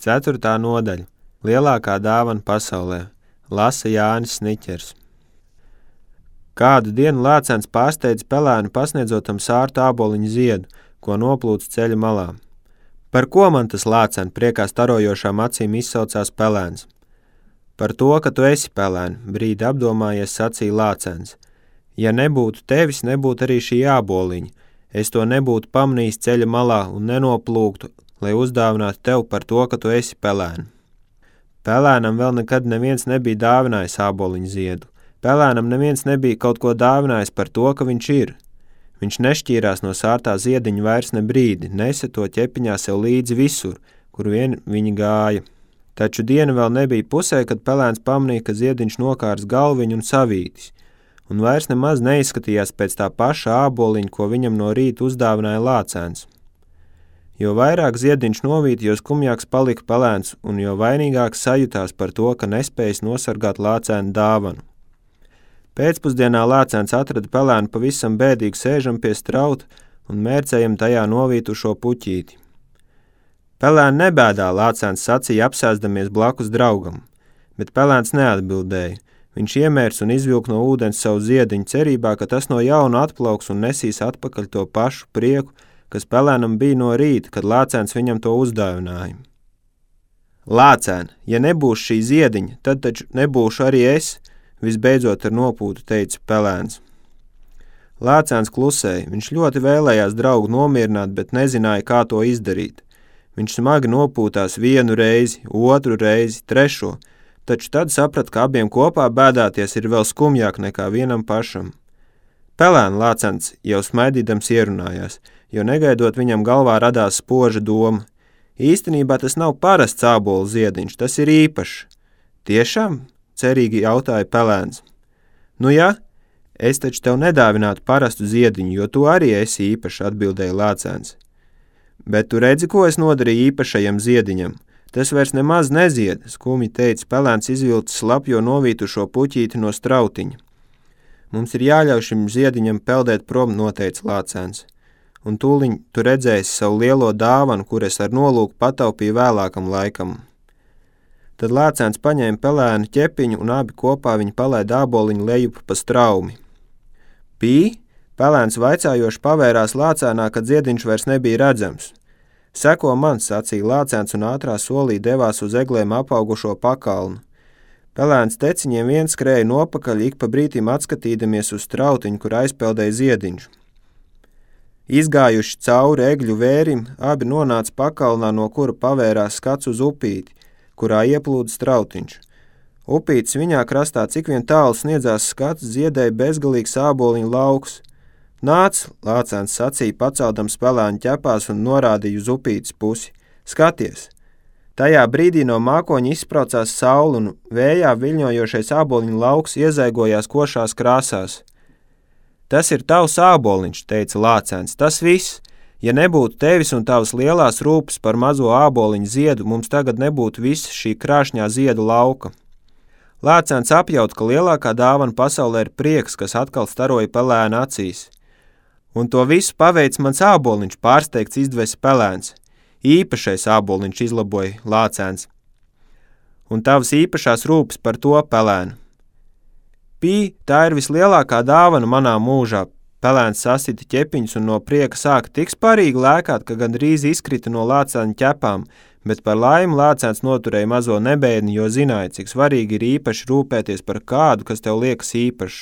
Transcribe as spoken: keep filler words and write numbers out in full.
Ceturtā nodaļa. Lielākā dāvana pasaulē. Lasa Jānis Sniķers. Kādu dienu lācens pārsteidza pelēnu pasniedzotam sārtu āboliņu ziedu, ko noplūca ceļa malā. Par ko man tas lācen, priekā starojošām acīm izsaucās pelēns? Par to, ka tu esi pelēni, brīdi apdomājies sacīja lācens. Ja nebūtu tevis, nebūtu arī šī āboliņa. Es to nebūtu pamanījis ceļa malā un nenoplūktu, lai uzdāvinātu tev par to, ka tu esi pelēni. Pelēnam vēl nekad neviens nebija dāvinājis āboliņu ziedu. Pelēnam neviens nebija kaut ko dāvinājis par to, ka viņš ir. Viņš nešķīrās no sārtā ziediņa vairs ne brīdi, nesa to ķepiņā sev līdzi visur, kur vien viņi gāja. Taču diena vēl nebija pusē, kad pelēns pamanīja, ka ziediņš nokārs galviņu un savītis, un vairs nemaz neizskatījās pēc tā paša āboliņa, ko viņam no rīta uzdāvināja lācēns. Jo vairāk ziediņš novīt, jo skumjāks palika pelēns, un jo vainīgāks sajutās par to, ka nespējas nosargāt lācēnu dāvanu. Pēcpusdienā lācēns atrada pelēnu pavisam bēdīgi sēžam pie strauta un mērcējam tajā novītušo puķīti. Pelēni nebēdā, lācēns sacīja apsēsdamies blakus draugam, bet pelēns neatbildēja. Viņš iemērs un izvilk no ūdens savu ziediņu cerībā, ka tas no jauna atplauks un nesīs atpakaļ to pašu prieku, kas pelēnam bija no rīta, kad lācēns viņam to uzdāvināja. Lācēn, ja nebūs šī ziediņa, tad taču nebūšu arī es, visbeidzot ar nopūtu teica pelēns. Lācēns klusēja, viņš ļoti vēlējās draugu nomierināt, bet nezināja, kā to izdarīt. Viņš smagi nopūtās vienu reizi, otru reizi, trešo, taču tad saprat, ka abiem kopā bēdāties ir vēl skumjāk nekā vienam pašam. Pelēna lācens jau smaidīdams ierunājās, jo negaidot viņam galvā radās spoža doma. Īstenībā tas nav parasts ābolu ziediņš, tas ir īpašs. Tiešām? Cerīgi jautāja pelēns. Nu ja, es taču tev nedāvinātu parastu ziediņu, jo tu arī esi īpašs, atbildēja lācens. Bet tu redzi, ko es nodarīju īpašajam ziediņam? Tas vairs nemaz nezied, skumi teica pelēns izvilcis slapjo novītušo puķīti no strautiņa. Mums ir jāļauj šim ziediņam peldēt prom, noteica lācens. Un tūliņ tu redzēsi savu lielo dāvanu, kur es ar nolūku pataupīju vēlākam laikam. Tad lācens paņēma pelēnu ķepiņu un abi kopā viņi palaida āboliņu lejup pa straumi. Pī, pelēns vaicājoši pavērās lācēnā, kad ziediņš vairs nebija redzams. Seko man, sacīja lācens un ātrā solī devās uz eglēm apaugušo pakalnu. Pelēns teciņiem viens skrēja nopakaļ, ik pa brītim atskatīdamies uz strautiņu, kur aizpeldēja ziediņš. Izgājuši cauri egļu vērim, abi nonāca pakalnā, no kura pavērās skats uz upīti, kurā ieplūda strautiņš. Upītes viņā krastā, cik vien tālu sniedzās skats, ziedēja bezgalīgs āboliņu lauks. Nāc, lācens sacīja, paceldams pelēnu ķepās un norādīja uz upītes pusi. Skaties! Tajā brīdī no mākoņa izspraucās saule un vējā viļņojošais āboliņu lauks iezaigojās košās krāsās. Tas ir tavs āboliņš, teica lācens, tas viss. Ja nebūtu tevis un tavas lielās rūpes par mazo āboliņu ziedu, mums tagad nebūtu visa šī krāšņā ziedu lauka. Lācens apjaut, ka lielākā dāvana pasaulē ir prieks, kas atkal staroja pelēna acīs. Un to visu paveic mans āboliņš, pārsteigts izdvesa pelēns. Īpašais āboliņš, izlaboja lācens. Un tavas īpašās rūpes par to pelēnu. Pī, tā ir vislielākā dāvana manā mūžā. Pelēns sasita ķepiņus un no prieka sāka tik sparīgi lēkāt, ka gandrīz izkrita no lācēna ķepām, bet par laimi lācēns noturēja mazo nebēdni, jo zināja, cik svarīgi ir īpaši rūpēties par kādu, kas tev liekas īpašs.